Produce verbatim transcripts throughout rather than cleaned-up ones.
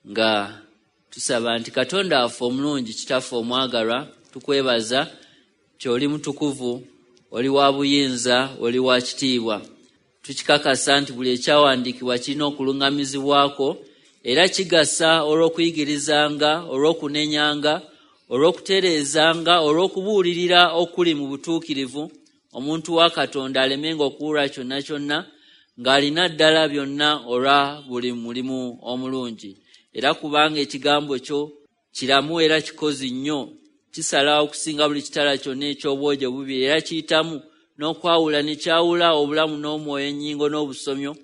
Nga tusaba nti Katonda waffe omulungi, Kitaffe omwagalwa, tukwebaza nti oli mutukuvu, oli wa buyinza, oli wa kitiibwa. Tukikakasa nti buli ekyawandiikibwa kirina okuluŋŋamizibwako era kigasa olw'okuyigirizanga, olw'okunenyanga, olw'okutereezanga, olw'okubuulirira okuli mu butuukirivu, omuntu wa Katonda alemenga okuwulwa kyonna kyonna ng'alina ddala byonna olwa buli mulimu omulungi. Era kubanga ekigambo kyo kiramu era kikozi nnyo, kisala okusinga buli kitala kyonna eky'obwogi obubiri, era kiyitamu n'okwawula ne kyawula obulamu n'omwoyo, ennyingo n'obusomyo,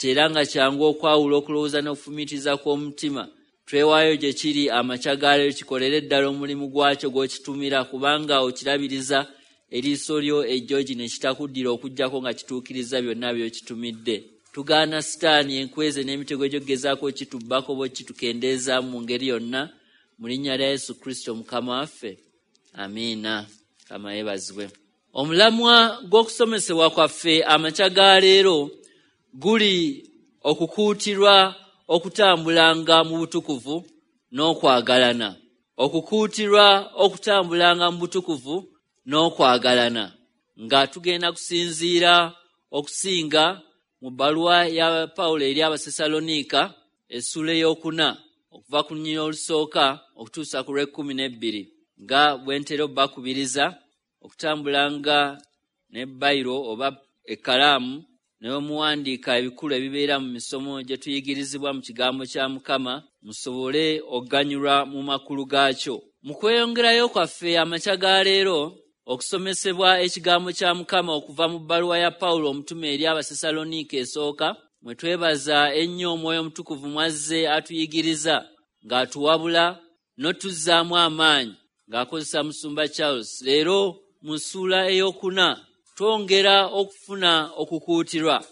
era nga kyangu okwawula okulowooza n'okufumiitiriza kw'omutima. Twewaayo gye kiri amakya ga leero, kikolere ddala omulimu gwakyo gw'okitumira, kubanga okirabiriza eriiso lyo ejjogi ne kitakuddira okuggyako nga kituukiriza byonna by'okitumidde. Tugaana Sitaani, enkweze n'emitego egy'okugezaako okitubbako oba okitukendeeza mu ngeri yonna, mu linnya lya Yesu Kristo Mukama waffe, amiina. Mukama yeebazibwe. Omulamwa gw'okusomesebwa kwaffe amakya ga leero guli okukuutirwa okutambulanga mu butukuvu n'okwagalana. Okukuutirwa okutambulanga mu butukuvu n'okwagalana, nga tugenda kusinziira okusinga mu bbaluwa ya Pawulo eri Abasessaloniika essuula ey'okuna okuva ku lunyiriri olusooka okutuusa ku lw'ekkumi n'ebbiri, nga bwe ntera obbakubiriza okutambulanga ne bayiro oba ekkalaamu ne muwandiika ebikulu ebibeera mu misomo gye tuyigirizibwa mu kigambo kya Mukama, musobole okuganyulwa mu makulu gaakyo. Mu kweyongerayo kwaffe amakya ga leero okusomesebwa ekigambo kya Mukama okuva mu bbaluwa ya Pawulo omutume eri Abasessaloniika esooka, mwe twebaza ennyo Omwoyo Omutukuvu mwazze atuyigiriza ng'atuwabula n'otuzzaamu amaanyi ng'akozesa Musumba Charles. Leero mu ssuula ey'okuna twongera okufuna okukuutirwa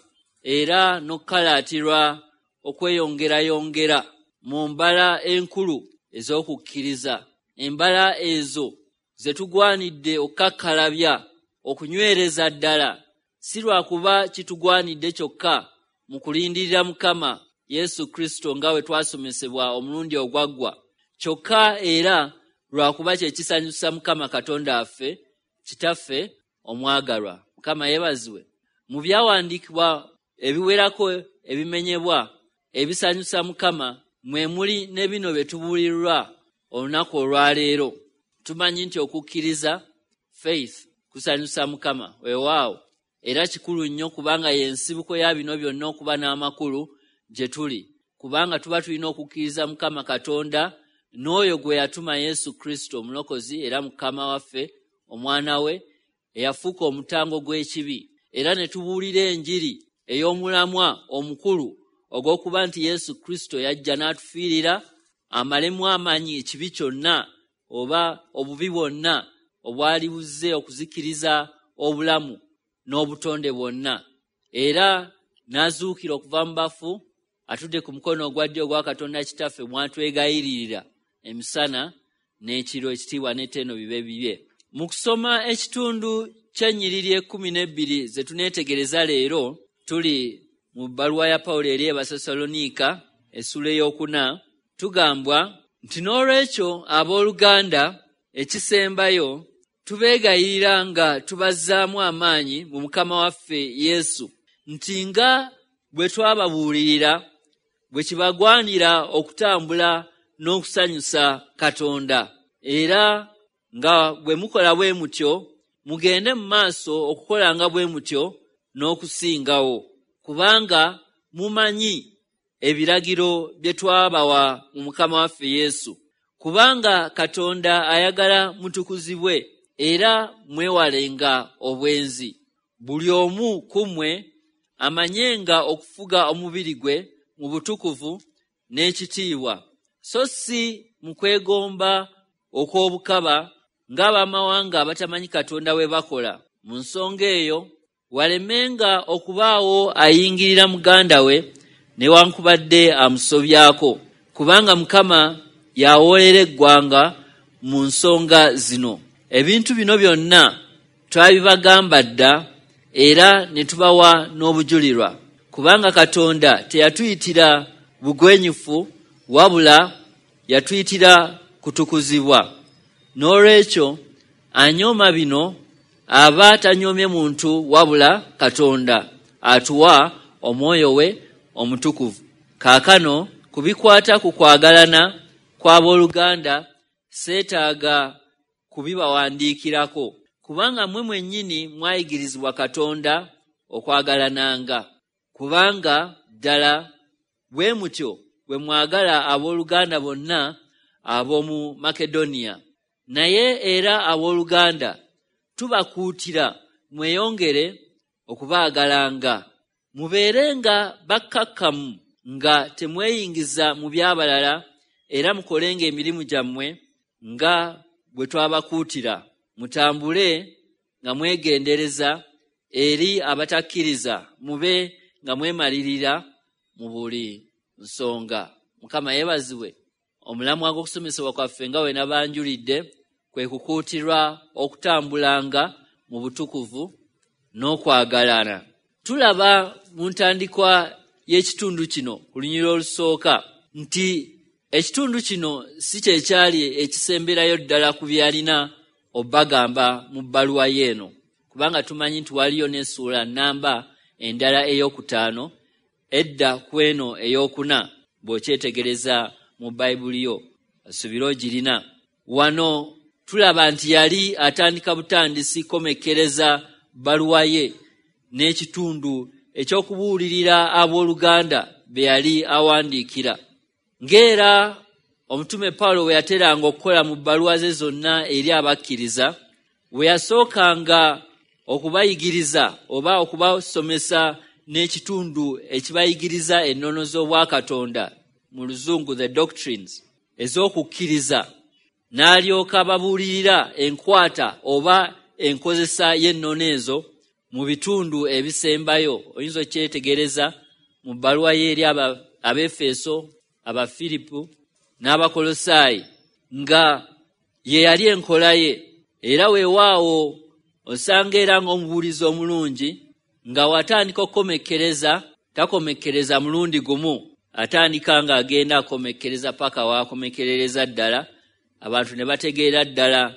era n'okukalaatirwa okweyongerayongera mu mbala enkulu ez'okukkiriza, embala ezo ze tugwanidde okukakkalabya, okunywereza ddala, si lwakuba kitugwanidde kyokka mu kulindirira Mukama Yesu Kristo nga bwe twasomesebwa omulundi ogwaggwa, kyokka era lwakuba kye kisanyusa Mukama Katonda waffe, Kitaffe omwagalwa. Mukama yeebazibwe. Mu byawandiikibwa ebiwerako ebimenyebwa ebisanyusa Mukama mwe muli ne bino bye tubuulirwa olunaku olwaleero. Tumanyi nti okukkiriza, faith, kusanyusa Mukama. Weewaawo, era kikulu nnyo kubanga y'ensibuko ya bino byonna okuba n'amakulu gye tuli, kubanga tuba tulina okukkiriza Mukama Katonda n'oyo gwe yatuma Yesu Kristo Omulokozi era Mukama waffe, Omwana we eyafuuka omutango gw'ekibi, era ne tubuulira enjiri ey'omulamwa omukulu ogw'okuba nti Yesu Kristo yajja n'atufiirira amalemu amaanyi ekibi kyonna oba obubi bwonna obwali buzze okuzikiriza obulamu n'obutonde bwonna, era n'azuukira okuva mu bafu, atudde ku mukono ogwa ddyo ogwa Katonda Kitaffe mwatwegayiririra emisana n'ekiro, ekitiibwa n'ettendo bibe bibye. Mu kusoma ekitundu ky'ennyiriri ekkumi n'ebbiri ze tuneetegereza leero, tuli mu bbaluwa ya Pawulo eri Abasessaloniika essuula ey'okuna, tugambwa nti n'olwekyo abooluganda, ekisembayo tubeegayirira nga tubazzaamu amaanyi mu Mukama waffe Yesu, nti nga bwe twababuulirira bwe kibagwanira okutambula n'okusanyusa Katonda, era nga bwe mukola bwe mutyo mugende mu maaso okukolanga bwe mutyo n'okusingawo, kubanga mumanyi ebiragiro bye twabawa mu Mukama waffe Yesu. Kubanga Katonda ayagala mutukuzibwe era mwewalenga obwenzi. Buli omu ku mmwe amanyenga okufuga omubiri gwe mu butukuvu n'ekitiibwa, so si mu kwegomba okw'obukaba ng'abamawanga abatamanyi Katonda bwe bakola. Mu nsonga eyo walemenga okubaawo ayingirira muganda we newankubadde amusobyako, kubanga Mukama yawoolera eggwanga mu nsonga zino. Ebintu bino byonna twabibagamba dda era ne tubawa n'obujulirwa, kubanga Katonda teyatuyitira bugwenyufu wabula yatuyitira kutukuzibwa. N'olwekyo anyooma bino aba tanyoomye muntu wabula Katonda atuwa omwoyo we omutukuvu. Kaakano ku bikwata ku kwagalana kw'abooluganda seetaaga kubibawandiikirako, kubanga mmwe mwennyini mwayigirizibwa Katonda okwagalananga. Kubanga ddala bwe mutyo bwe mwagala abooluganda bonna ab'omu Makedoniya. Naye era abooluganda tubakuutira mweyongere okubaagalanga, mubeerenga bakkakkamu nga temweyingiza mu by'abalala, era mukolenga emirimu gyammwe nga bwe twabakuutira. Mutambule nga mwegendereza eri abatakkiriza, mube nga mwemalirira mu buli nsonga. Mukama yeebazibwe. Omulamwa gw'okusomesebwa kwaffe nga we nabanjulidde kwe kukuutirwa okutambulanga mu butukuvu n'okwagalana. Tulaba mu ntandikwa y'ekitundu kino ku lunyiriri olusooka nti ekitundu kino si kye kyali ekisemberayo ddala ku byalina obbagamba mu bbaluwa y'eno, kubanga tumanyi nti waliyo n'essuula nnamba endala ey'okutaano edda ku eno ey'okuna bw'okyetegereza mu Bayibuli yo asubira ogirina. Wano tulaba nti yali atandika butandisi komekkereza bbaluwa ye n'ekitundu eky'okubuulirira abooluganda be yali awandiikira. Ng'era omutume Pawulo bwe yateranga okukola mu bbaluwa ze zonna eri abakkiriza, bwe yasookanga okubayigiriza oba okubasomesa n'ekitundu ekibayigiriza ennono z'obwakatonda, mu Luzungu the doctrines, ez'okukkiriza, n'alyoka babuulirira enkwata oba enkozesa y'ennono ezo mu bitundu ebisembayo. Oyinza okyetegereza mu bbaluwa ye eri Abaefeso, Abafiripu n'Abakolosaayi, nga ye yali enkola ye. Era weewaawo osanga era ng'omubuulizi omulungi nga watandika okukomekkereza takomekkereza mulundi gumu, atandika ng'agenda akomekkereza paka waakomekkerereza ddala abantu ne bategeera ddala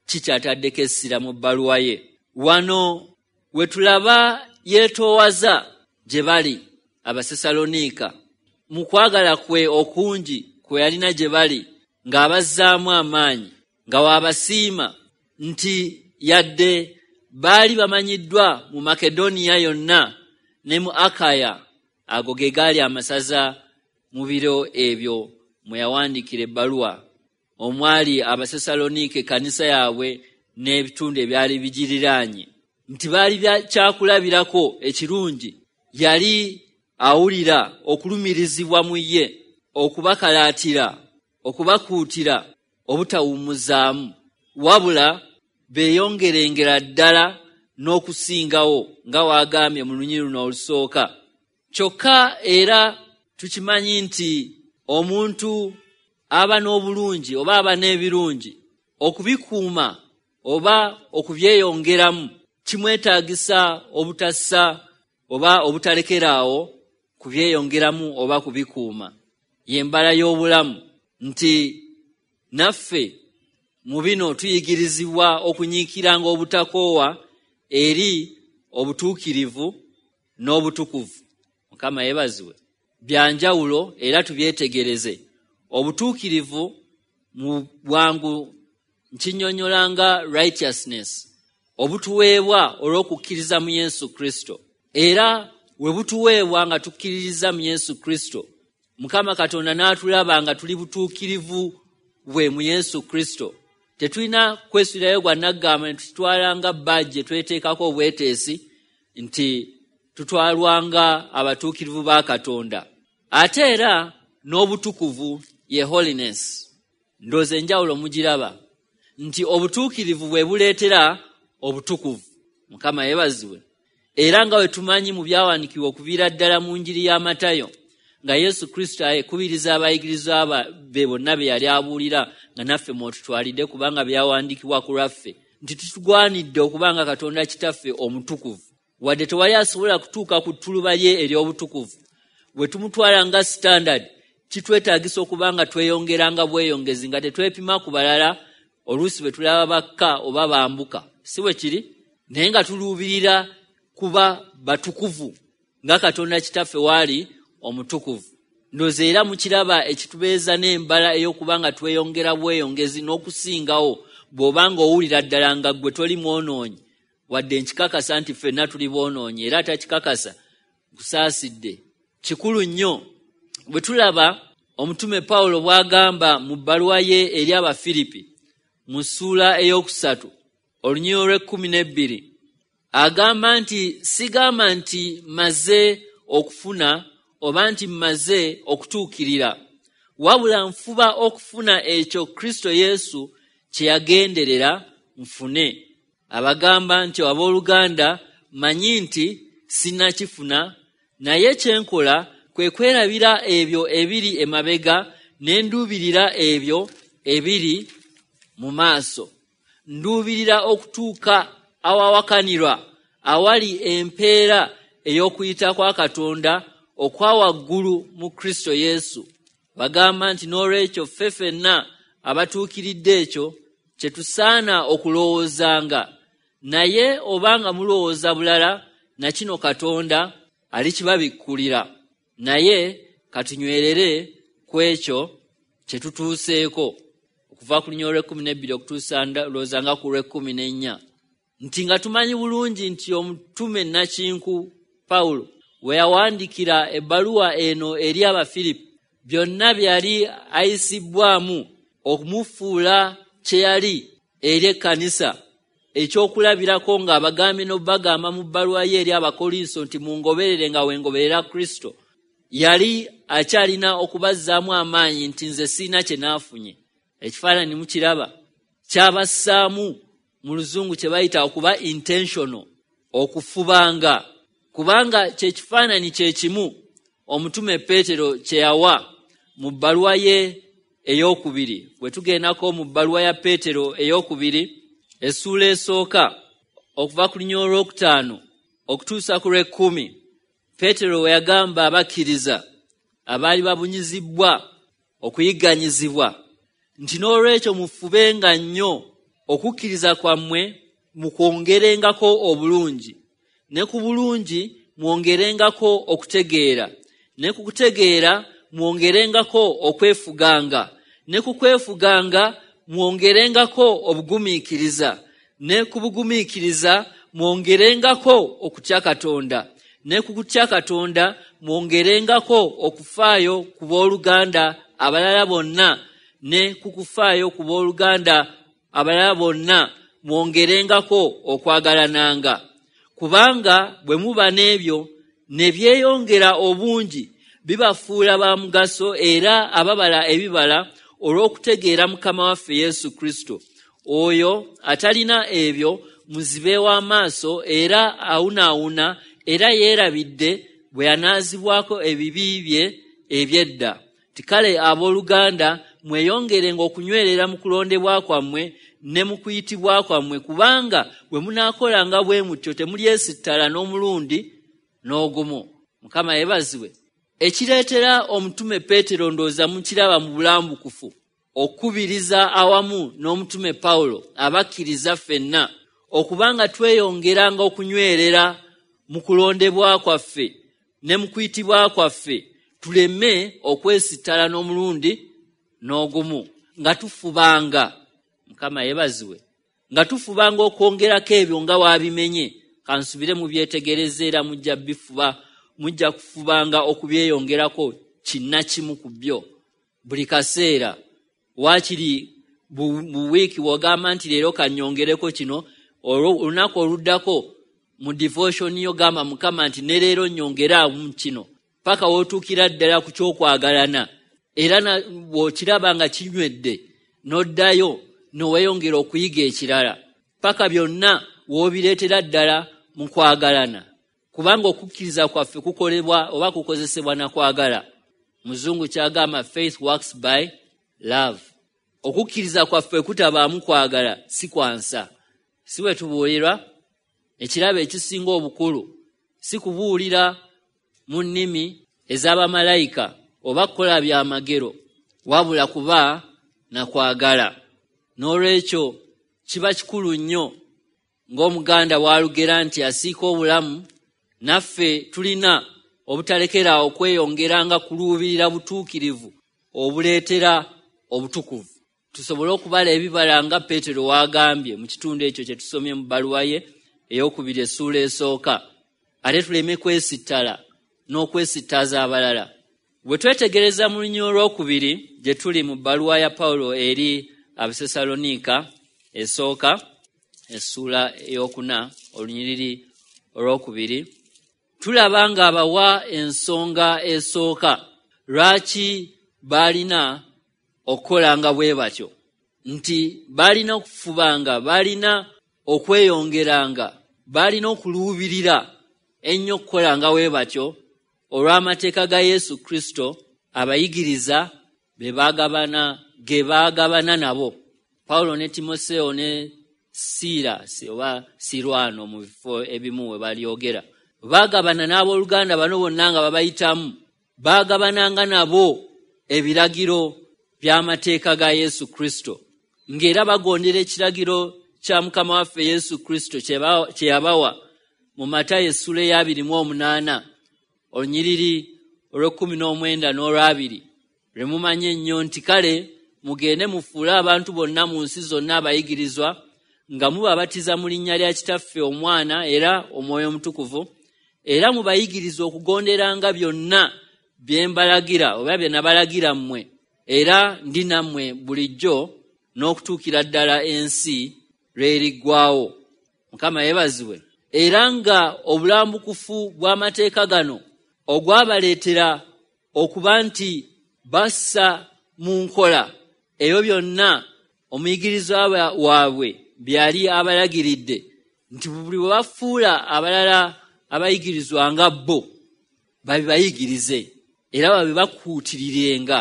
kikyataddeko essira mu bbaluwa ye. Wano we tulaba yeetoowaza gye bali Abasessaloniika mu kwagala kwe okungi kwe yalina gye bali, ng'abazzaamu amaanyi, nga waabasiima nti yadde baali bamanyiddwa mu Makedoniya yonna ne mu Akaya, ago ge gaali amasaza mu biro ebyo mwe yawandiikira ebbaluwa, omwali Abasessaloniika ekkanisa yaabwe n'ebitundu ebyali bigiriraanye, nti baali kyakulabirako ekirungi. Yali awulira okulumirizibwa mu ye, okubakalaatira, okubakuutira obutawummuzaamu, wabula beeyongerengera ddala n'okusingawo nga waagambye mu lunyiriri luno olusooka. Kyokka era tukimanyi nti omuntu aba n'obulungi oba aba n'ebirungi, okubikuuma oba okubyeyongeramu kimwetaagisa obutassa oba obutalekeraawo kubyeyongeramu oba kubikuuma. Y'embala y'obulamu nti naffe mu bino tuyigirizibwa okunyiikiranga obutakoowa eri obutuukirivu n'obutukuvu. Mukama yeebazibwe. Bya njawulo era tubyetegereze. Obutuukirivu mu bwangu nkinnyonnyola nga righteousness, obutuweebwa olw'okukkiriza mu Yesu Kristo. Era we butuweebwa nga tukkiririza mu Yesu Kristo, Mukama Katonda n'atulaba nga tuli butuukirivu bwe mu Yesu Kristo. Tetulina kwesuulirayo gwa naggamba ne tutwala nga bajje tweteekako obweteesi nti tutwalwanga abatuukirivu ba Katonda. Ate era n'obutukuvu ye holiness. Ndowooza enjawulo mugiraba nti obutuukirivu bwe buleetera obutukuvu. Mukama yeebazibwe. Era nga bwe tumanyi mu byawandiikibwa okuviira ddala mu njiri ya Matayo, nga Yesu Kristo akubiriza abayigirizwa be bonna be yali abuulira, nga naffe mw'otutwalidde kubanga byawandiikibwa ku lwaffe, nti tutugwanidde okuba nga Katonda Kitaffe omutukuvu. Wadde tewali asobola kutuuka ku ttuluba lye ery'obutukuvu, bwe tumutwala nga standard Kitwetaagisa okuba nga tweyongeranga bweyongezi, nga tetwepima ku balala oluusi bwe tulaba bakka oba bambuka, si bwe kiri? Naye nga tuluubirira kuba batukuvu nga Katonda Kitaffe waali omutukuvu. Ndowooza era mukiraba ekitubeeza n'embala ey'okuba nga tweyongera bweyongezi n'okusingawo bw'oba ng'owulira ddala nga ggwe toli mwonoonyi, wadde nkikakasa nti ffenna tuli boonoonyi, era atakikakasa nkusaasidde. Kikulu nnyo bwe tulaba omutume Pawulo bw'agamba mu bbaluwa ye eri Abafiripi mu ssuula ey'okusatu olunyiriri olw'ekkumi n'ebbiri, agamba nti sigamba nti mmaze okufuna oba nti mmaze okutuukirira, wabula nfuba okufuna ekyo Kristo Yesu kye yagenderera nfune. Abagamba nti abooluganda mmanyi nti sinnakifuna, naye kye nkola kwe kwerabira ebyo ebiri emabega ne nduubirira ebyo ebiri mu maaso. Nduubirira okutuuka awawakanirwa awali empeera ey'okuyita kwa Katonda okwa waggulu mu Kristo Yesu. Bagamba nti n'olwekyo ffe ffenna abatuukiridde ekyo kye tusaana okulowoozanga, naye obanga mulowooza bulala, na kino Katonda alikibabikkulira. Naye katunywerere ku ekyo kye tutuuseeko. Okuva ku lunyiriri olw'ekkumi n'ebbiri okutuusa ndowooza nga ku lw'ekkumi n'ennya, nti nga tumanyi bulungi nti omutume nnakinku Pawulo we yawandiikira ebbaluwa eno eri Abafiripi, byonna bye yali ayisibbwamu okumufuula kye yali eri ekkanisa, ekyokulabirako ng'abagambye n'obagamba mu bbaluwa ye eri Abakolinso nti mungoberere nga wengoberera Kristo, yali akyalina okubazzaamu amaanyi nti nze sirina kye naafunye. Ekifaananyi mukiraba kyabassaamu mu luzungu kye bayita okuba intentional, okufubanga, kubanga kye kifaananyi kye kimu omutume Peetero kye yawa mu bbaluwa ye ey'okubiri. Bwe tugendako mu bbaluwa ya Peetero ey'okubiri essuula esooka okuva ku lunyiriri olwokutaano okutuusa ku lw'ekkumi, Peetero we yagamba abakkiriza abaali babunyizibbwa okuyigganyizibwa nti n'olwekyo mufubenga nnyo okukkiriza kwammwe mukwongerengako obulungi, ne ku bulungi mwongerengako okutegeera, ne ku kutegeera mwongerengako okwefuganga, ne ku kwefuganga mwongerengako obugumiikiriza, ne ku bugumiikiriza mwongerengako okutya Katonda, ne ku kutya Katonda mwongerengako okufaayo ku booluganda abalala bonna, ne ku kufaayo ku booluganda abalala bonna mwongerengako okwagalananga. Kubanga bwe muba n'ebyo ne byeyongera obungi, bibafuula ba mugaso era ababala ebibala olw'okutegeera Mukama waffe Yesu Kristo. Oyo atalina ebyo muzibe w'amaaso era awunaawuna, era yeerabidde bwe yanaazibwako ebibi bye eby'edda. Tikale abooluganda mweyongerenga okunywerera mu kulondebwa kwammwe ne mu kuyitibwa kwammwe, kubanga bwe munaakolanga bwe mutyo temulyesittala n'omulundi n'ogumu. Mukama yeebazibwe. Ekireetera omutume Peetero ndowooza mukiraba mu bulambukufu okukubiriza awamu n'omutume Pawulo abakkiriza ffenna okubanga tweyongeranga okunywerera mu kulondebwa kwaffe ne mu kuyitibwa kwaffe, tuleme okwesittala n'omulundi n'ogumu, nga tufubanga. Mukama yeebazibwe. Nga tufubanga okwongerako ebyo nga waabimenye. Kansubire mubyetegereze era mujja bifuba, mujja kufubanga okubyeyongerako kinnakimu ku byo buli kaseera. Waakiri mu wiiki w'ogamba nti leero kannyongereko kino, olunaku oluddako mu devotion yo gamba Mukama nti ne leero nnyongeraamu kino, paka w'otuukira ddala ku ky'okwagalana. Era bw'okiraba nga kinywedde n'oddayo n'oweeyongera okuyiga ekirala, paka byonna w'obireetera ddala mu kwagalana. Kubanga okukkiriza kwaffe kukolebwa oba kukozesebwa na kwagala. Muzungu kyagamba faith works by love. Okukkiriza kwaffe kutabaamu kwagala si kwansa. Si bwe tubuulirwa? Ekirabo ekisinga obukulu si kubuulira mu nnimi ez'abamalayika oba kukola byamagero, wabula kuba na kwagala. N'olwekyo kiba kikulu nnyo ng'Omuganda bw'alugera nti asiika obulamu, naffe tulina obutalekera okweyongeranga kuluubirira butuukirivu obuleetera obutukuvu, tusobole okubala ebibala nga Peetero w'agambye mu kitundu ekyo kye tusomye mu bbaluwa ye ey'okubiri essuula esooka, ate tuleme kwesittala n'okwesittaza abalala. Bwe twetegereza mu lunyiriri olwokubiri gye tuli mu bbaluwa ya Pawulo eri Abasessaloniika esooka essuula ey'okuna olunyiriri olwokubiri, tulaba ng'abawa ensonga esooka lwaki baalina okukolanga bwe batyo, nti baalina okufubanga, baalina okweyongeranga, baalina okuluubirira ennyo okukolanga bwe batyo olw'amateeka ga Yesu Kristo abayigiriza be baagabana ge baagabana nabo. Pawulo ne Timoseewo ne Siira oba Sirwano mu bifo ebimu we balyogera, baagabana n'abooluganda bano bonna nga babayitamu, baagabananga nabo ebiragiro by'amateeka ga Yesu Kristo, ng'era bagondera ekiragiro kya Mukama waffe Yesu Kristo kye yabawa mu Matayo essuula ey'abiri mu omunaana olunyiriri olw'ekkumi n'omwenda n'olwabiri, lwe mumanyi ennyo nti kale mugende mufuule abantu bonna mu nsi zonna abayigirizwa, nga mubabatiza mu linnya lya Kitaffe, Omwana era Omwoyo Omutukuvu, era mubayigirize okugonderanga byonna bye mbalagira oba bye nabalagira mmwe, era ndi nammwe bulijjo n'okutuukira ddala ensi lw'eriggwaawo. Mukama yeebazibwe. Era nga obulambukufu bw'amateeka gano ogwabaleetera okuba nti bassa mu nkola ebyo byonna omuyigirizwa waabwe byali abalagiridde, nti buli bwe bafuula abalala abayigirizwa nga bo babibayigirize era babibakuutirirenga,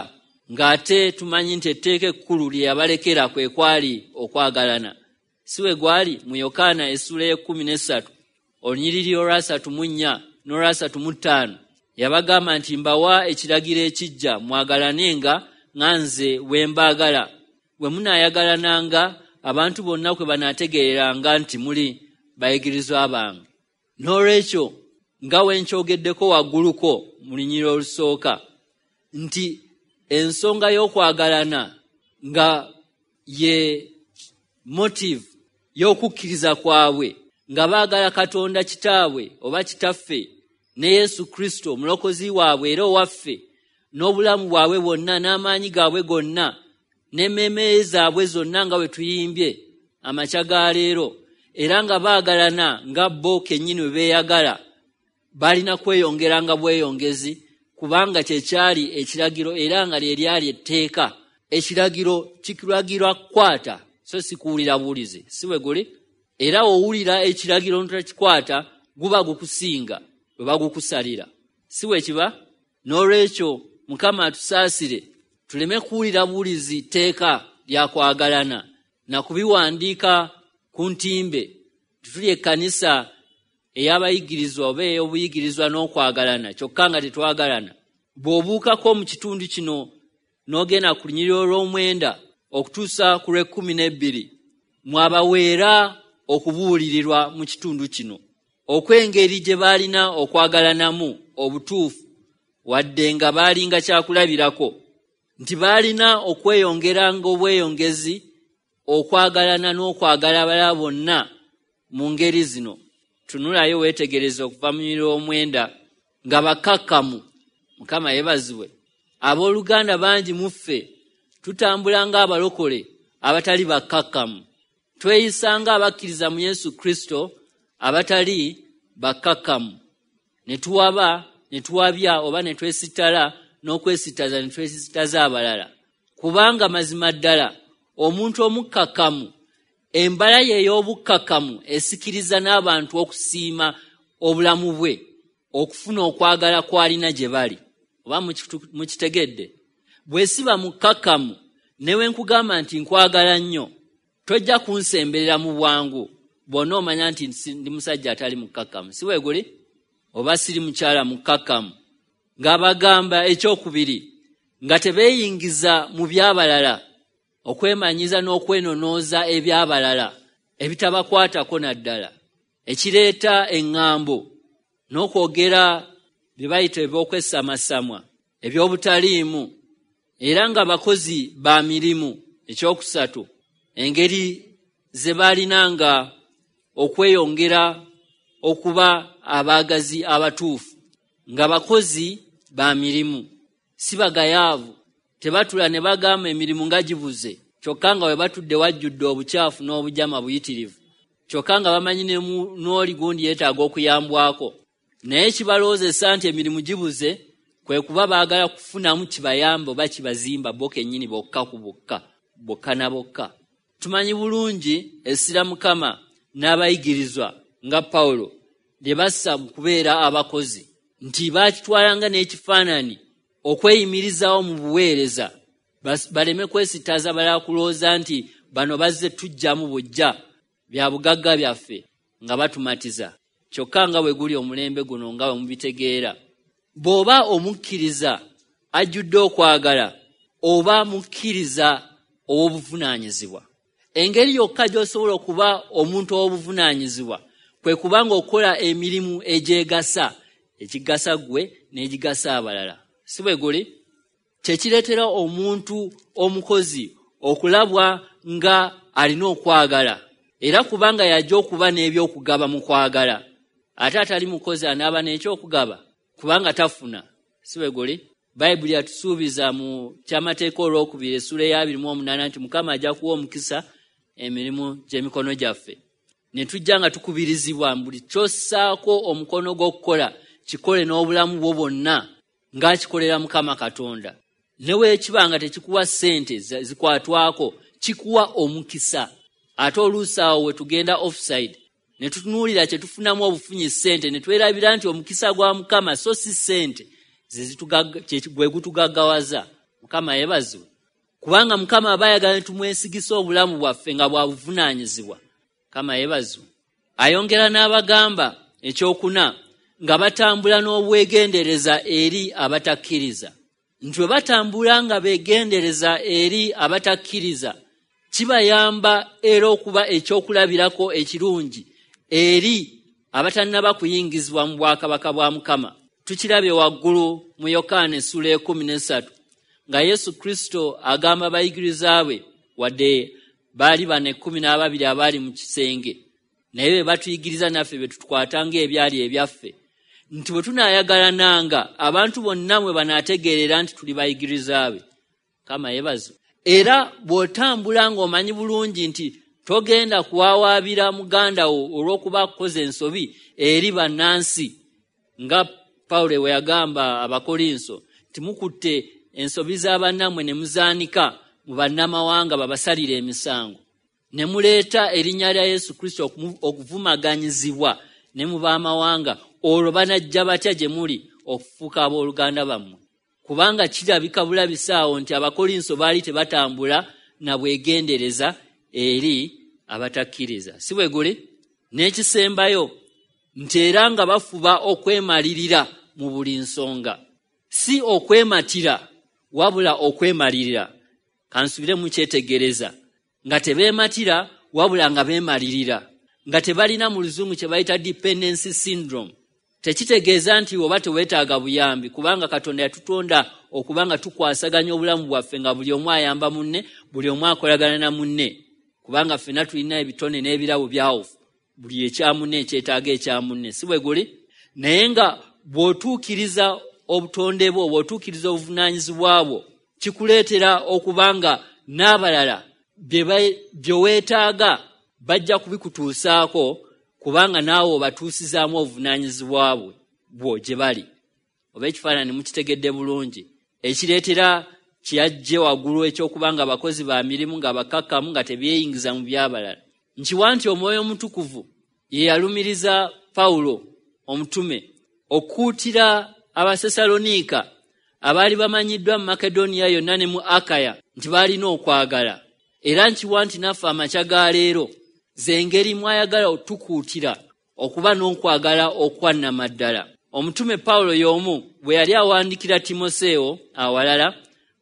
ng'ate tumanyi nti etteeka ekkulu lye yabalekera kwe kwali okwagalana. Si we gwali mu Yokaana essuula y'ekkumi n'essatu olunyiriri olwasatu mu nnya n'olwasatu mu ttaano, yabagamba nti mbawa ekiragiro ekijja, mwagalanenga nga nze bwe mbaagala. Bwe munaayagalananga abantu bonna kwe banaategeereranga nti muli bayigirizwa bange. N'olwekyo nga we nkyogeddeko wagguluko mu lunyiriri olusooka nti ensonga y'okwagalana nga ye motive y'okukkiriza kwabwe, nga baagala Katonda Kitaabwe oba Kitaffe ne Yesu Kristo omulokozi waabwe era owaffe, n'obulamu bwabwe bwonna n'amaanyi gaabwe gonna n'emmeeme zaabwe zonna nga bwe tuyimbye amakya ga leero, era nga baagalana nga bo kennyini bwe beeyagala, balina kweyongeranga bweyongezi, kubanga kye kyali ekiragiro era nga lye lyali etteeka. Ekiragiro kikiragirwa kukwata, so si kuwulira buwulizi, si bwe guli? Era owulira ekiragiro n'otakikwata guba gukusinga bwe bagukusalira, si bwe kiba? N'olwekyo Mukama atusaasire tuleme kuwulira buwulizi tteeka lya kwagalana na kubiwandiika ku ntimbe. Tuli ekkanisa ey'abayigirizwa oba ey'obuyigirizwa n'okwagalana, kyokka nga tetwagalana. Bw'obuukako mu kitundu kino n'ogenda ku lunyiriri olw'omwenda okutuusa ku lw'ekkumi n'ebbiri, mwabaweera okubuulirirwa mu kitundu kino okw'engeri gye baalina okwagalanamu obutuufu, wadde nga baalinga kyakulabirako nti baalina okweyongeranga obweyongezi okwagalana n'okwagala abalala bonna mu ngeri zino. Tunulayo weetegereze okuva mu lunyiriri olw'omwenda nga bakkakkamu. Mukama yeebazibwe. Abooluganda bangi mu ffe tutambula ng'abalokole abatali bakkakkamu, tweyisa ng'abakkiriza mu Yesu Kristo abatali bakkakkamu, ne tuwaba ne tuwabya oba ne twesittala n'okwesittaza ne twesittaza abalala. Kubanga mazima ddala omuntu omukkakkamu, embala ye ey'obukkakkamu esikiriza n'abantu okusiima obulamu bwe, okufuna okwagala kw'alina gye bali. Oba mukitegedde? Bwe siba mukkakkamu ne we nkugamba nti nkwagala nnyo, tojja kunsemberera mu bwangu bw'onoomanya omanya nti ndi musajja atali mukkakkamu, si bwe guli? Oba siri mukyala mukkakkamu. Ng'abagamba ekyokubiri, Nga tebeeyingiza mu by'abalala, okwemanyiza n'okwenonooza eby'abalala ebitabakwatako naddala, ekireeta eŋŋambo n'okwogera bye bayita eby'okwesamasamwa eby'obutaliimu, era nga bakozi ba mirimu. Ekyokusatu, engeri ze baalinanga okweyongera okuba abaagazi abatuufu, nga bakozi ba mirimu, si bagayaavu. Tebatula ne bagamba emirimu nga gibuze, kyokka nga we batudde wajjudde obukyafu n'obujama buyitirivu, kyokka nga bamanyi n'oli gundi yeetaaga okuyambwako. Naye kibalowoozesa nti emirimu gibuze kwe kuba baagala kufunamu kibayamba oba kibazimba bo kennyini bokka ku bokka, bokka na bokka. Tumanyi bulungi essira Mukama n'abayigirizwa nga Pawulo lye bassa mu kubeera abakozi, nti baakitwalanga n'ekifaananyi okweyimirizaawo mu buweereza, baleme kwesittaza balala kulowooza nti bano bazze tujjamu bujja bya bugagga byaffe nga batumatiza. Kyokka nga bwe guli omulembe guno nga bwe mubitegeera, bw'oba omukkiriza ajjudde okwagala, oba mukkiriza ow'obuvunaanyizibwa. Engeri yokka gy'osobola okuba omuntu ow'obuvunaanyizibwa kwe kubanga okola emirimu egyegasa, ekigasa ggwe n'egigasa abalala. Si bwe guli? Kye kireetera omuntu omukozi okulabwa nga alina okwagala, era kubanga yajja okuba n'ebyokugaba mu kwagala. Ate atali mukozi anaaba n'ekyokugaba kubanga tafuna. Si bwe guli? Bayibuli yatusuubiza mu kyamateeka olwokubiri essula eya abiri mu omunaana nti Mukama ajja kuwa omukisa emirimu gy'emikono gyaffe. Ne tujja nga tukubirizibwa buli ky'ossaako omukono gw'okukola kikole n'obulamu bwo bwonna ng'akikolera Mukama Katonda. Ne bwe kiba nga tekikuwa ssente zikwatwako, kikuwa omukisa. Ate oluusi awo we tugenda offside ne tutunuulira kye tufunamu obufunyi ssente, ne twerabira nti omukisa gwa Mukama so si ssente gwe gutugaggawaza. Mukama yeebazibwe, kubanga Mukama aba ayagala ne tumwesigisa obulamu bwaffe nga bwa buvunaanyizibwa. Mukama yeebazibwe. Ayongera n'abagamba ekyokuna, nga batambula n'obwegendereza eri abatakkiriza, nti bwe batambula nga beegendereza eri abatakkiriza kibayamba era okuba ekyokulabirako ekirungi eri abatannaba kuyingizibwa mu bwakabaka bwa Mukama. Tukirabye waggulu mu Yokaana essula ekumi n'essatu nga Yesu Kristo agamba abayigiriza be, wadde baali bano ekkumi n'ababiri abaali mu kisenge, naye be batuyigiriza naffe be tutukwatanga ebyali ebyaffe, nti bwe tunaayagalananga abantu bonna mwe banaategeerera nti tuli bayigiriza be. Mukama yeebazibwe. Era bw'otambula ng'omanyi bulungi nti togenda kuwawaabira muganda wo olw'okuba akukoze ensobi eri bannansi, nga Pawulo bwe yagamba Abakolinso nti mukutte ensobi za bannammwe ne muzaanika mu bannamawanga babasalire emisango, ne muleeta erinnya lya Yesu Kristo okuvumaganyizibwa ne mu b'amawanga, olwo banajja batya gye muli okufuuka abooluganda bammwe? Kubanga kirabika bulabisaawo nti Abakolinso baali tebatambula na bwegendereza eri abatakkiriza. Si bwe guli? N'ekisembayo nti era nga bafuba okwemalirira mu buli nsonga, si okwematira wabula okwemalirira. Kansubire mukyetegereza, nga tebeematira wabula nga beemalirira, nga tebalina mu luzungu kye bayita dependency syndrome. Tekitegeeza nti oba teweetaaga buyambi, kubanga Katonda yatutonda okuba nga tukwasaganya obulamu bwaffe, nga buli omu ayamba munne, buli omu akolagana na munne, kubanga ffenna tulina ebitone n'ebirabo byawufu, buli ekya munne ekyetaaga ekya munne. Si bwe guli? Naye nga bw'otuukiriza obutonde bwo, bw'otuukiriza obuvunaanyizibwa bwo, kikuleetera okuba nga n'abalala bye weetaaga bajja kubikutuusaako, kubanga naawe obatuusizaamu obuvunaanyizibwa bwo gye bali. Oba ekifaananyi mukitegedde bulungi, ekireetera kyeyajje waggulu ekyokuba nga abakozi ba mirimu, nga bakakkamu, nga tebeeyingiza mu by'abalala. Nkiwa nti Omwoyo Omutukuvu ye yalumiriza Pawulo omutume okukuutira Abasessaloniika abaali bamanyiddwa mu Makedoniya yonna ne mu Akaya nti baalina okwagala. Era nkiwa nti naffe amakya ga leero z'engeri mwayagala otukuutira okuba n'okwagala okwannamaddala. Omutume Pawulo y'omu bwe yali awandikira Timoseewo awalala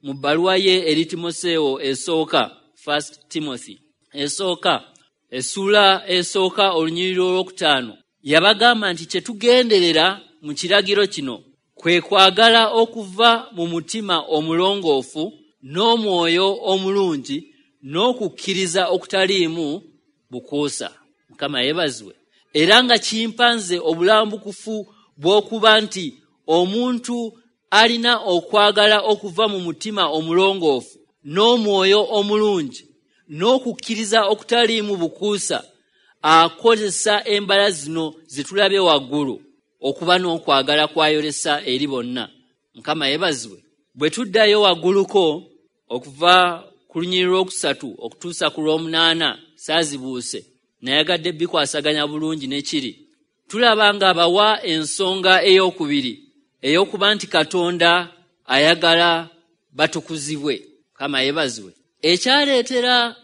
mu bbaluwa ye eri Timoseewo esooka, First Timothy esooka, essuula esooka olunyiriri olwokutaano, yabagamba nti kye tugenderera mu kiragiro kino kwe kwagala okuva mu mutima omulongoofu n'omwoyo omulungi n'okukkiriza okutaliimu bukuusa. Mukama yeebazibwe. Era nga kimpanze obulambukufu bw'okuba nti omuntu alina okwagala okuva mu mutima omulongoofu n'omwoyo omulungi n'okukkiriza okutaliimu bukuusa akozesa embala zino zitulabye waggulu okuba n'okwagala kwayolesa eri bonna. Mukama yeebazibwe. Bwe tuddayo wagguluko okuva ku lunyiriri lwokusatu okutuusa ku lw'omunaana, saazibuuse nayagadde bikwasaganya bulungi ne kiri, tulaba ng'abawa ensonga ey'okubiri ey'okuba nti Katonda ayagala batukuzibwe. Mukama yeebazibwe. Ekyaleetera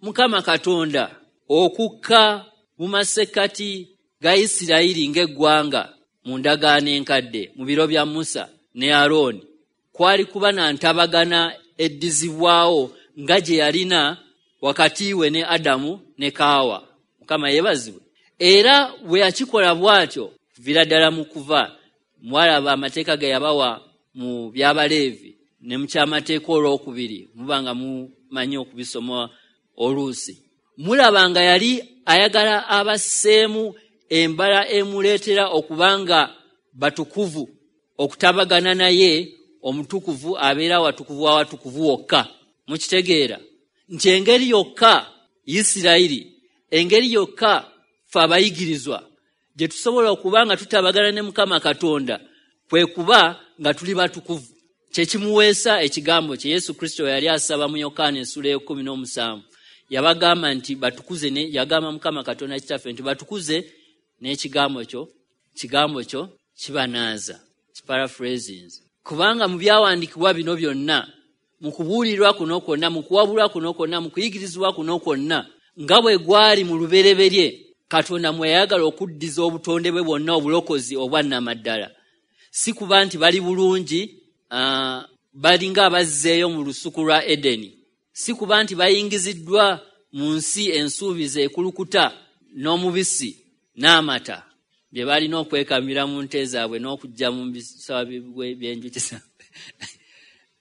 Mukama Katonda okukka mu masekkati ga Isirayiri ng'eggwanga mu ndagaano enkadde mu biro bya Musa ne Alooni kwali kuba na ntabagana eddizibwawo nga gye yalina wakati we ne Adamu ne Kaawa. Mukama yeebazibwe. Era bwe yakikola bw'atyo kuviira ddala mu kuva, mwalaba amateeka ge yabawa mu by'Abaleevi ne mu kyamateeka olwokubiri, muba nga mumanyi okubisoma oluusi, mulaba nga yali ayagala abasseemu embala emuleetera okuba nga batukuvu, okutabagana naye omutukuvu abeera watukuvu awatukuvu wokka. Mukitegeera nti engeri yokka Isirayiri, engeri yokka ffe abayigirizwa gye tusobola okuba nga tutabagana ne Mukama Katonda kwe kuba nga tuli batukuvu. Kye kimuweesa ekigambo kye Yesu Kristo yali asaba mu Yokaana essula ey'ekkumi n'omusanvu. Yabagamba nti batukuze ne yagamba Mukama Katonda Kitaffe nti batukuze n'ekigambo kyo, kigambo kyo kibanaaza. Paraphrasings. Kubanga mu byawandiikibwa bino byonna, mu kubuulirwa kuno kwonna, mu kuwabulwa kuno kwonna, mu kuyigirizibwa kuno kwonna, nga bwe gwali mu lubereberye, Katonda mwe yayagala okuddiza obutonde bwe bwonna obulokozi obwa nnamaddala. Si kuba nti bali bulungi, uh, balinga abazzeeyo mu lusuku lwa Edeni. Si kuba nti bayingiziddwa mu nsi ensuubize ekulukuta n'omubisi n'amata bye balina okwekamira mu nte zaabwe n'okujja mu bisawa by'enjuki zaabwe.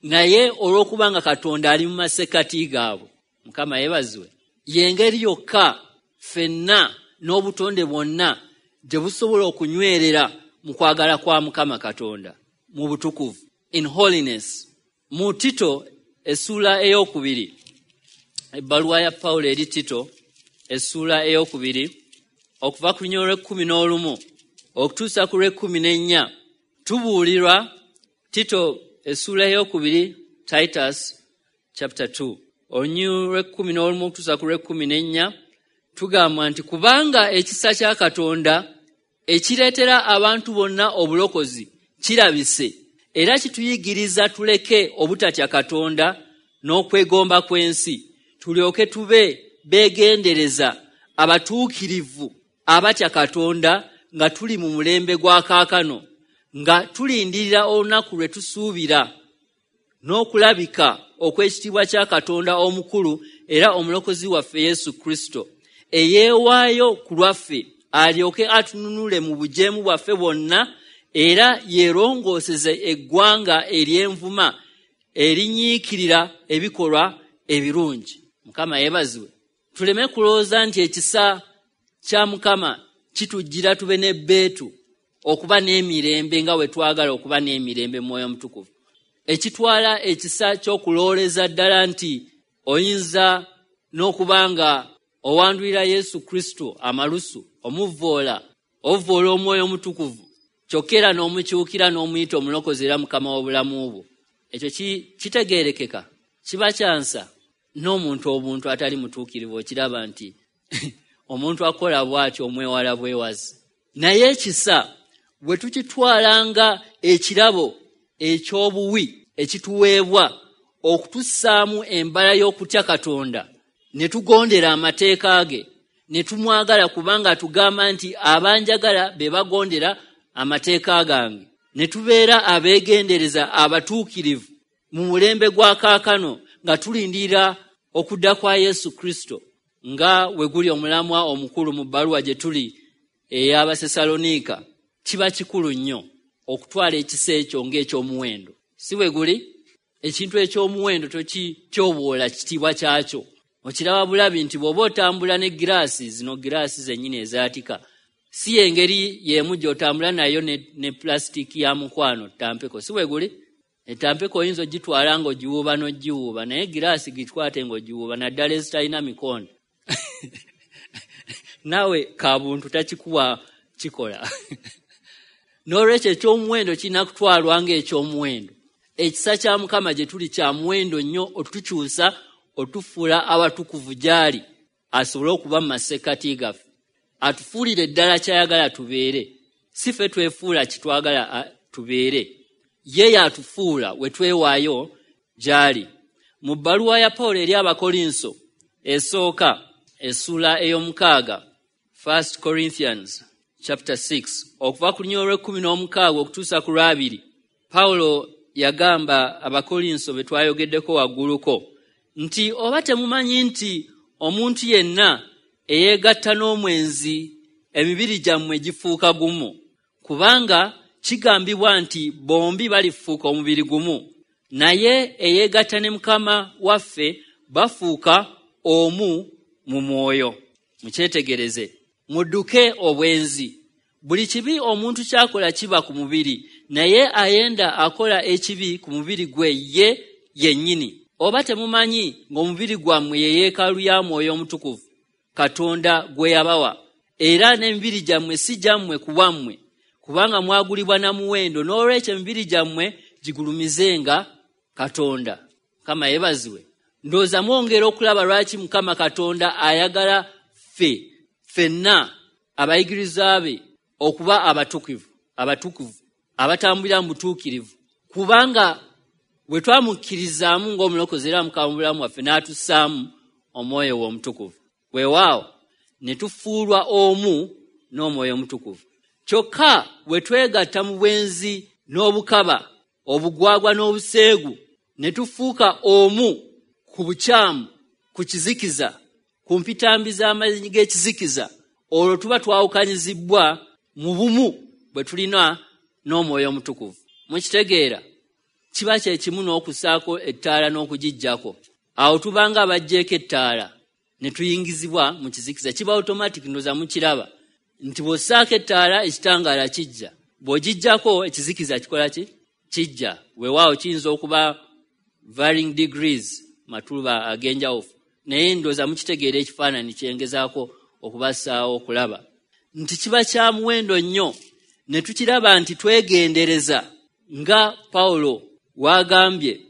Naye olw'okuba nga Katonda ali mu masekkati gaabwe, Mukama yeebazibwe, y'engeri yokka ffenna n'obutonde bwonna gye busobola okunywerera mu kwagala kwa Mukama Katonda mu butukuvu, in holiness. Mu Tito essuula ey'okubiri, ebbaluwa ya Pawulo eri Tito essuula ey'okubiri okuva ku lunyiriri lw'ekkumi n'olumu okutuusa ku lw'ekkumi n'ennya, tubuulirwa. Tito essuula ey'okubiri, Titus chapter two, olunyiriri lw'ekkumi n'olumu okutuusa ku lw'ekkumi n'ennya, tugamba nti kubanga ekisa kya Katonda ekireetera abantu bonna obulokozi kirabise, era kituyigiriza tuleke obutatya Katonda n'okwegomba kw'ensi, tulyoke tube beegendereza abatuukirivu abatya Katonda nga tuli mu mulembe gwa kaakano, nga tulindirira olunaku lwe tusuubira n'okulabika okw'ekitiibwa kya Katonda omukulu era omulokozi waffe Yesu Kristo, eyeewaayo ku lwaffe alyoke atununule mu bujeemu bwaffe bwonna, era yeerongooseze eggwanga ery'envuma erinyiikirira ebikolwa ebirungi. Mukama yeebazibwe. Tuleme kulowooza nti ekisa kya Mukama kitujjira tube n'ebbeetu okuba n'emirembe nga bwe twagala okuba n'emirembe mu Mwoyo Mutukuvu. Ekitwala ekisa ky'okulowooleza ddala nti oyinza n'okuba nga owandulira Yesu Kristo amalusu, omuvvoola, ovvoola Omwoyo Omutukuvu, kyokka era n'omukyukira n'omuyita omulokozi era Mukama w'obulamu bwo. Ekyo kitegeerekeka, kiba kyansa n'omuntu obuntu atali mutuukirivu okiraba nti omuntu akola bw'atyo omwewala bwewazi. Naye ekisa bwe tukitwalanga ekirabo eky'obuwi ekituweebwa okutussaamu embala y'okutya Katonda, ne tugondera amateeka ge, ne tumwagala kubanga atugamba nti abanjagala be bagondera amateeka gange, ne tubeera abeegendereza abatuukirivu mu mulembe gwa kaakano nga tulindirira okudda kwa Yesu Kristo, nga we guli omulamwa omukulu mu bbaluwa gye tuli ey'Abasessaloniika, kiba kikulu nnyo okutwala ekisa ekyo ng'ekyomuwendo. Si bwe guli? Ekintu eky'omuwendo tokityoboola kitiibwa kyakyo. Okiraba bulabi nti bw'oba otambula ne giraasi, zino giraasi zennyini ezaatika, si engeri y'emu gy'otambula nayo ne, ne pulasitiiki ya mukwano tampeko. Si bwe guli? Etampeko oyinza ogitwala ng'ogiwuuba n'ogiwuuba, naye giraasi gikwate ng'ogiwuuba, naddala ezitalina mikono. Naawe kabuntu takikuwa kikola. N'olwekyo eky'omuwendo kirina kutwalwa ng'ekyomuwendo. Ekisa kya Mukama gye tuli kya muwendo nnyo otukyusa, otufuula abatukuvu gy'ali, asobole okuba mu masekkati gaffe, atufuulire ddala ky'ayagala tubeere. Si ffe twefuula kitwagala tubeere, ye y'atufuula we twewaayo gy'ali. Mu bbaluwa ya Pawulo eri Abakolinso esooka essuula ey'omukaaga, First Corinthians chapter six, okuva ku lunyiriri olw'ekkumi n'omukaaga okutuusa ku lw'abiri, Pawulo yagamba Abakolinso be twayogeddeko wagguluko nti oba temumanyi nti omuntu yenna eyeegatta n'omwenzi emibiri gyammwe gifuuka gumu, kubanga kigambibwa nti bombi balifuuka omubiri gumu, naye eyeegatta ne Mukama waffe bafuuka omu mu mwoyo. Mukyetegereze, mudduke obwenzi. Buli kibi omuntu ky'akola kiba ku mubiri, naye ayenda akola ekibi ku mubiri gwe ye yennyini. Oba temumanyi ng'omubiri gwammwe ye yeekaalu ya Mwoyo Omutukuvu Katonda gwe yabawa, era n'emibiri gyammwe si gyammwe ku bwammwe, kubanga mwagulibwa na muwendo, n'olwekyo emibiri gyammwe gigulumizenga Katonda. Mukama yeebazibwe. Ndowooza mwongera okulaba lwaki Mukama Katonda ayagala ffe ffenna abayigiriza be okuba abatukuvu, abatukuvu, abatambulira mu butuukirivu, kubanga bwe twamukkirizaamu ng'omulokozi era Mukama mu bulamu waffe, n'atussaamu Omwoyo we Omutukuvu, weewaawo ne tufuulwa omu n'Omwoyo Omutukuvu. Kyokka bwe twegatta mu bwenzi n'obukaba, obugwagwa n'obuseegu, ne tufuuka omu ku bukyamu, ku kizikiza, ku mpitambi z'amaanyi g'ekizikiza, olwo tuba twawukanyizibbwa mu bumu bwe tulina n'Omwoyo Omutukuvu. Mukitegeera? Kiba kye kimu n'okussaako ettaala n'okugiggyako. Awo tubanga abaggyeko ettaala ne tuyingizibwa mu kizikiza. Kiba automatic, ndowooza mukiraba nti bw'ossaako ettaala ekitangaala kijja, bw'ogiggyako ekizikiza kikola ki? Kijja. Weewaawo kiyinza okuba varying degrees, matuluba ag'enjawufu, naye ndowooza mukitegeera ekifaananyi kyengezaako okubassaawo okulaba nti kiba kya muwendo nnyo ne tukiraba nti twegendereza nga Pawulo w'agambye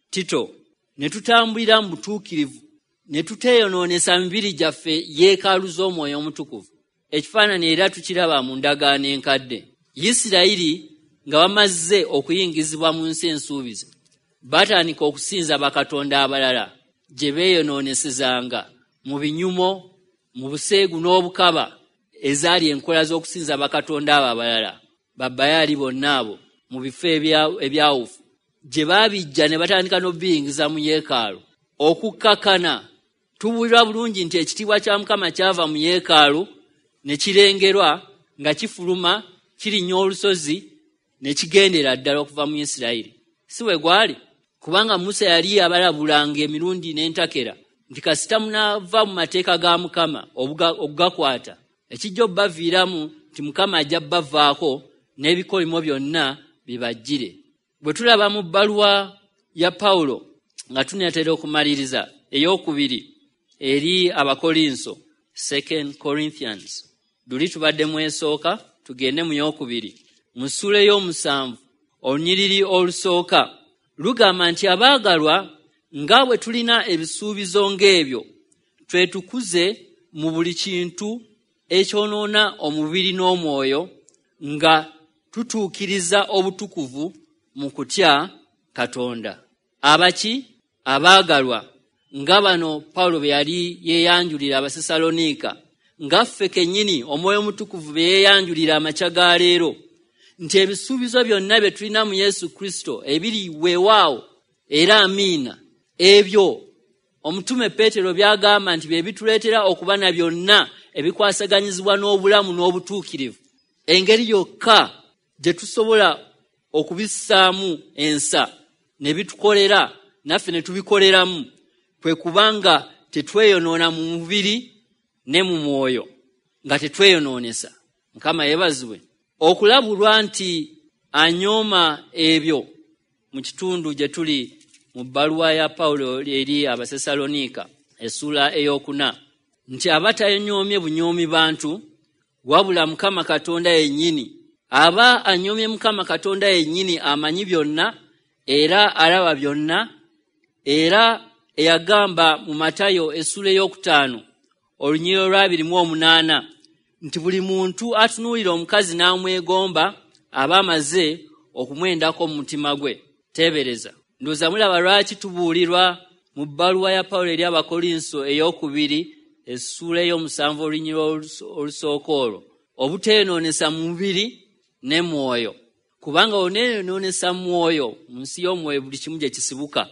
Tito, ne tutambulira mu butuukirivu, ne tuteeyonoonesa mibiri gyaffe yeekaalu z'Omwoyo Omutukuvu. Ekifaananyi era tukiraba mu ndagaano enkadde. Isirayiri nga bamaze okuyingizibwa mu nsi ensuubize, batandika okusinza bakatonda abalala gye beeyonoonesezanga mu binyumo, mu buseegu n'obukaba, ezaali enkola z'okusinza bakatonda abo abalala, babayaali bonna abo mu bifo ebyawufu, gye baabijja ne batandika n'obiyingiza mu yeekaalu. Okukkakana tubuulirwa bulungi nti ekitiibwa kya Mukama kyava mu yeekaalu ne kirengerwa nga kifuluma kirinnya olusozi ne kigendera ddala okuva mu Isirayiri. Si bwe gwali? Kubanga Musa yali abalabulanga emirundi n'entakera nti kasita munaava mu mateeka ga Mukama okugakwata, ekijja obbaviiramu nti Mukama ajja bbavaako n'ebikolimo byonna bibajjire. Bwe tulaba mu bbaluwa ya Pawulo nga tunaatera okumaliriza ey'okubiri eri Abakolinso, Second Corinthians, luli tubadde mu esooka, tugende mu y'okubiri, mu ssuula ey'omusanvu olunyiriri olusooka lugamba nti abaagalwa, nga bwe tulina ebisuubizo ng'ebyo, twetukuze mu buli kintu ekyonoona omubiri n'omwoyo, nga tutuukiriza obutukuvu mu kutya Katonda. Abaki? Abaagalwa, nga bano Pawulo bwe yali yeeyanjulira Abasessaloniika, nga ffe kennyini Omwoyo Omutukuvu bwe yeeyanjulira amakya ga leero, nti ebisuubizo byonna bye tulina mu Yesu Kristo ebiri weewaawo Era amiina. Ebyo omutume Peetero by'agamba nti bye bituleetera okuba na byonna ebikwasaganyizibwa n'obulamu n'obutuukirivu. Engeri yokka gye tusobola okubissaamu ensa ne bitukolera naffe ne tubikoleramu kwe kubanga tetweyonoona mu mubiri ne mu mwoyo, nga tetweyonoonesa. Mukama yeebazibwe. Okulabulwa nti anyooma ebyo mu kitundu gye tuli mu bbaluwa ya Pawulo eri Abasessaloniika essuula ey'okuna, nti aba tanyoomye bunyoomi bantu, wabula Mukama Katonda yennyini. Aba anyoomye Mukama Katonda yennyini, amanyi byonna era alaba byonna, era eyagamba mu Matayo essuula ey'okutaano olunyiriri olw'abiri mu omunaana nti buli muntu atunuulira omukazi n'amwegomba aba amaze okumwendako mu mutima gwe. Teebereza. Ndowooza mulaba lwaki tubuulirwa mu bbaluwa ya Pawulo eri Abakolinso ey'okubiri essuula ey'omusanvu olunyiriri olusooka olwo, obuteenoonesa mu mubiri ne mwoyo, kubanga oneenoonesa mwoyo, mu nsi y'omwoyo buli kimu gye kisibuka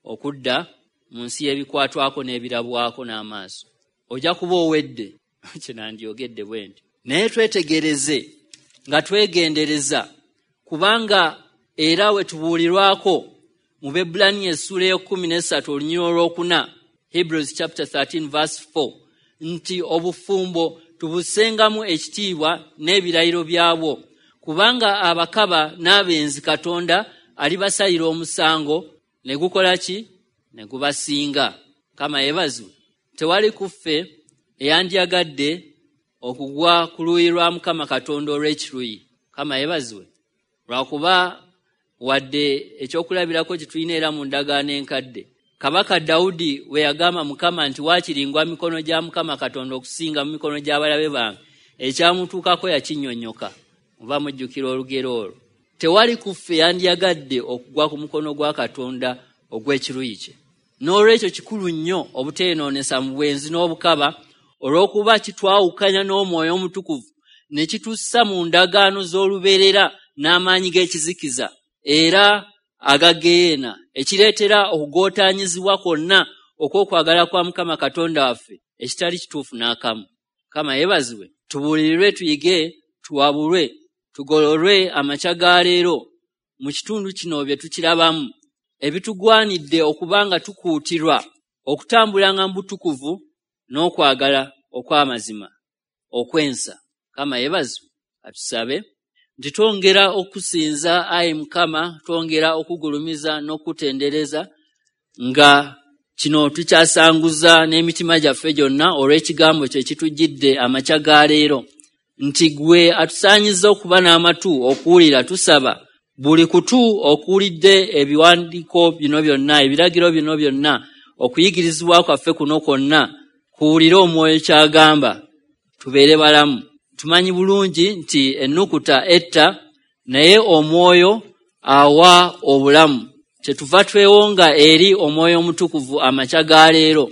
okudda mu nsi y'ebikwatwako n'ebirabwako n'amaaso, ojja kuba owedde. Kye nandyogedde bwe nti, naye twetegereze nga twegendereza, kubanga era we tubuulirwako mu Bebbulaniya essuula ey'ekkumi n'essatu olunyiriri olwokuna, Hebrews chapter thirteen verse four, nti obufumbo tubussengamu ekitiibwa n'ebirayiro byabwo, kubanga abakaba n'abenzi Katonda alibasalira omusango ne gukola ki? Ne gubasinga. Mukama yeebazibwe. Tewali ku ffe eyandyagadde okugwa ku luuyi lwa Mukama Katonda olw'ekiruyi. Mukama yeebazibwe. Lwakuba wadde ekyokulabirako kye tulina era mu ndagaano enkadde, Kabaka Dawudi we yagamba Mukama nti waakiringwa mikono gya Mukama Katonda okusinga mu mikono gy'abalabe bange, ekyamutuukako yakinnyonnyoka. Muba mujjukira olugero olwo. Tewali ku ffe yandyagadde okugwa ku mukono gwa Katonda ogw'ekiruyi kye. N'olwekyo kikulu nnyo obuteenoonesa mu bwenzi n'obukaba, olw'okuba kitwawukanya n'Omwoyo Omutukuvu ne kitussa mu ndagaano z'olubeerera n'amaanyi g'ekizikiza era agageena, ekireetera okugootaanyizibwa kwonna okw'okwagala kwa Mukama Katonda waffe ekitali kituufu n'akamu. Mukama yeebazibwe. Tubuulirirwe, tuyige, tuwabulwe, tugololwe amakya ga leero mu kitundu kino bye tukirabamu ebitugwanidde okuba nga tukuutirwa okutambulanga mu butukuvu n'okwagala okw'amazima okwensa. Mukama yeebazibwe. Atusabe nti twongera okusinza ayi Mukama, twongera okugulumiza n'okutendereza, nga kino tukyasanguza n'emitima gyaffe gyonna olw'ekigambo kye kitujjidde amakya ga leero, nti gwe atusaanyiza okuba n'amatu okuwulira. Tusaba buli kutu okuwulidde ebiwandiiko bino byonna, ebiragiro bino byonna, okuyigirizibwa kwaffe kuno kwonna, kuwulire Omwoyo ky'agamba, tubeere balamu. Tumanyi bulungi nti ennukuta etta, naye Omwoyo awa obulamu. Kyetuva twewonga eri Omwoyo Omutukuvu amakya ga leero,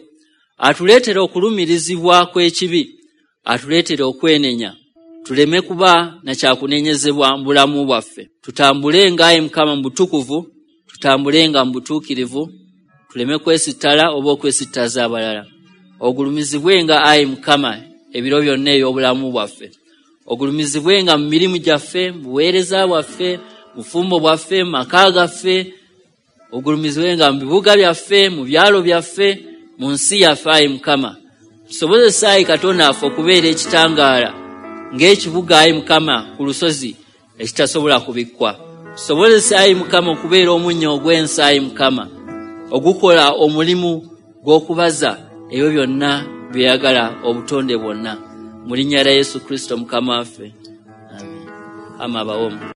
atuleetera okulumirizibwa kw'ekibi, atuleetera okwenenya, tuleme kuba na kyakunenyezebwa mu bulamu bwaffe. Tutambulenga ayi Mukama mu butukuvu, tutambulenga mu butuukirivu, tuleme kwesittala oba okwesittaza abalala. Ogulumizibwenga ayi Mukama ebiro byonna eby'obulamu bwaffe. Ogulumizibwenga mu mirimu gyaffe, mu buweereza bwaffe, mu bufumbo bwaffe, mu maka gaffe. Ogulumizibwenga mu bibuga byaffe, mu byalo byaffe, mu nsi yaffe ayi Mukama. Tusobozese ayi Katonda waffe okubeera ekitangaala ng'ekibuga ayi Mukama ku lusozi ekitasobola kubikkwa. Tusobozese ayi Mukama okubeera omunnyo ogw'ensi ayi Mukama, ogukola omulimu gw'okubaza ebyo byonna byeyagala obutonde bwonna. Mu linnya lya Yesu Kristo Mukama waffe, amen. Ama abawomu.